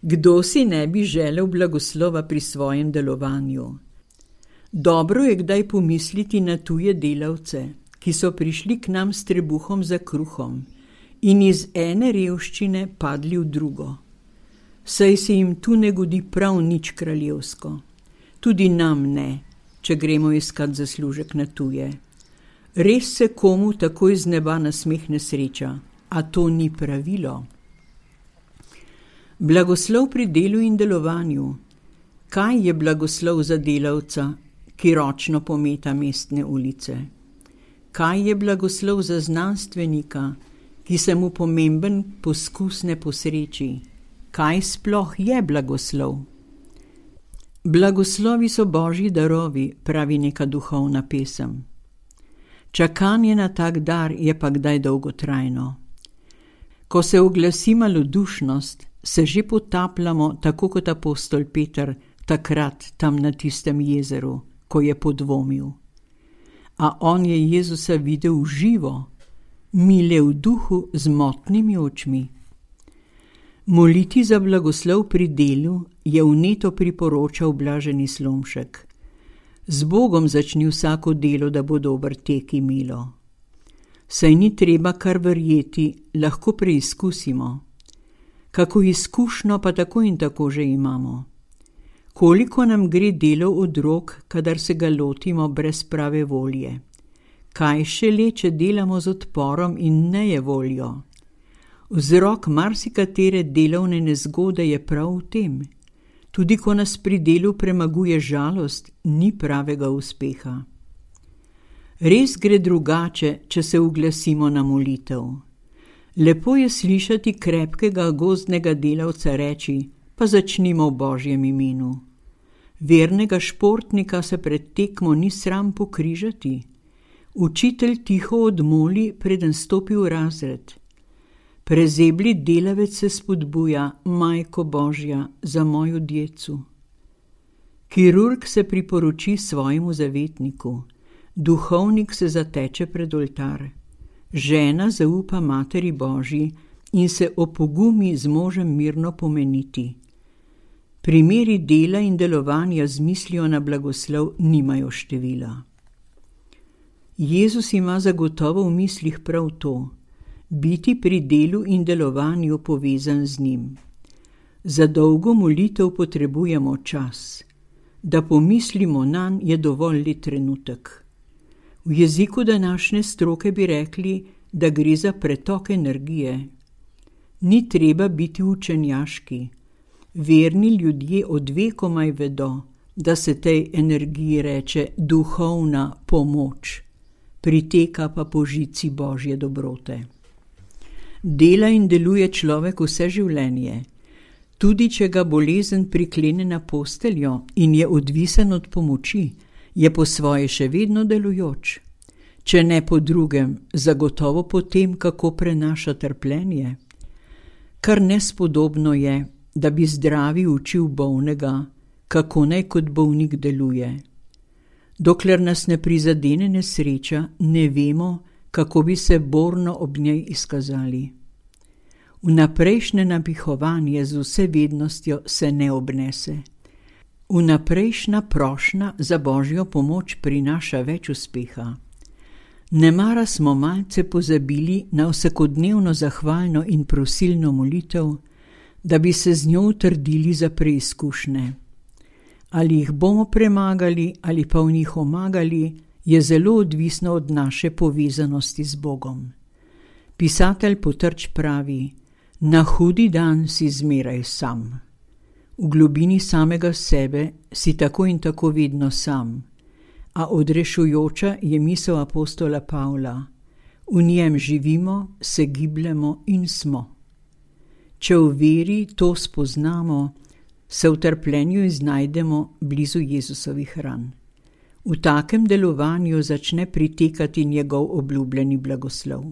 Kdo si ne bi želel blagoslova pri svojem delovanju? Dobro je kdaj pomisliti na tuje delavce, ki so prišli k nam s trebuhom za kruhom in iz ene revščine padli v drugo. Saj se jim tu ne godi prav nič kraljevsko. Tudi nam ne, če gremo iskat zaslužek na tuje. Res se komu takoj z neba nasmehne sreča, a to ni pravilo. Blagoslov pri delu in delovanju. Kaj je blagoslov za delavca, ki ročno pometa mestne ulice? Kaj je blagoslov za znanstvenika, ki se mu pomemben poskus ne posreči? Kaj sploh je blagoslov? Blagoslovi so Božji darovi, pravi neka duhovna pesem. Čakanje na tak dar je pa kdaj dolgotrajno. Ko se oglasi malodušnost, se že potapljamo, tako kot apostol Peter, takrat tam na tistem jezeru, ko je podvomil. A on je Jezusa videl živo, mile v duhu z motnimi očmi. Moliti za blagoslov pri delu je vneto priporočal blaženi Slomšek. Z Bogom začni vsako delo, da bo dober tek imelo. Saj ni treba kar verjeti, lahko preizkusimo. Kako izkušnjo pa tako in tako že imamo. Koliko nam gre delo od rok, kadar se ga lotimo brez prave volje? Kaj šele, če delamo z odporom in nejevoljo? Vzrok marsikatere delovne nezgode je prav v tem. Tudi ko nas pri delu premaguje žalost, ni pravega uspeha. Res gre drugače, če se uglasimo na molitev. Lepo je slišati krepkega gozdnega delavca reči, pa začnimo v Božjem imenu. Vernega športnika se pred tekmo ni sram pokrižati. Učitelj tiho odmoli, preden stopi v razred. Prezebli delavec se spodbuja, Majko Božja, za mojo djecu. Kirurg se priporoči svojemu zavetniku. Duhovnik se zateče pred oltar. Žena zaupa Materi Božji in se opogumi z možem mirno pomeniti. Primeri dela in delovanja z mislijo na blagoslov nimajo števila. Jezus ima zagotovo v mislih prav to, biti pri delu in delovanju povezan z njim. Za dolgo molitev potrebujemo čas. Da pomislimo nanj, je dovolj le trenutek. V jeziku današnje stroke bi rekli, da gre za pretok energije. Ni treba biti učenjaški. Verni ljudje od vekomaj vedo, da se tej energiji reče duhovna pomoč, priteka pa po žici Božje dobrote. Dela in deluje človek vse življenje. Tudi če ga bolezen priklene na posteljo in je odvisen od pomoči, je po svoje še vedno delujoč. Če ne po drugem, zagotovo po tem, kako prenaša trpljenje. Kar nespodobno je, da bi zdravi učil bolnega, kako naj kot bolnik deluje. Dokler nas ne prizadene nesreča, ne vemo, kako bi se borno ob njej izkazali. Vnaprejšnje napihovanje z vsevednostjo se ne obnese. Vnaprejšnja prošnja za Božjo pomoč prinaša več uspeha. Nemara smo malce pozabili na vsakodnevno zahvalno in prosilno molitev, da bi se z njo utrdili za preizkušnje. Ali jih bomo premagali ali pa v njih omagali, je zelo odvisno od naše povezanosti z Bogom. Pisatelj Potrč pravi, na hudi dan si zmeraj sam. V globini samega sebe si tako in tako vedno sam, a odrešujoča je misel apostola Pavla. V njem živimo, se gibljemo in smo. Če v veri to spoznamo, se v trpljenju iznajdemo blizu Jezusovih ran. V takem delovanju začne pritekati njegov obljubljeni blagoslov.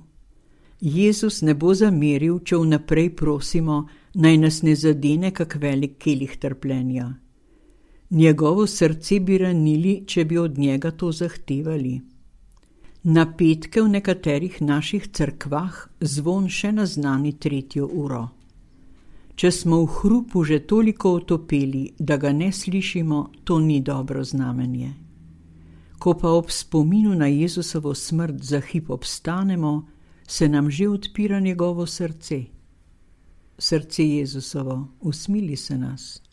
Jezus ne bo zameril, če vnaprej prosimo, naj nas ne zadene kak velik kelih trpljenja. Njegovo srce bi ranili, če bi od njega to zahtevali. Na petke v nekaterih naših cerkvah zvon še naznani 3. uro. Če smo v hrupu že toliko otopeli, da ga ne slišimo, to ni dobro znamenje. Ko pa ob spominu na Jezusovo smrt za hip obstanemo, se nam že odpira njegovo srce. Srce Jezusovo, usmili se nas.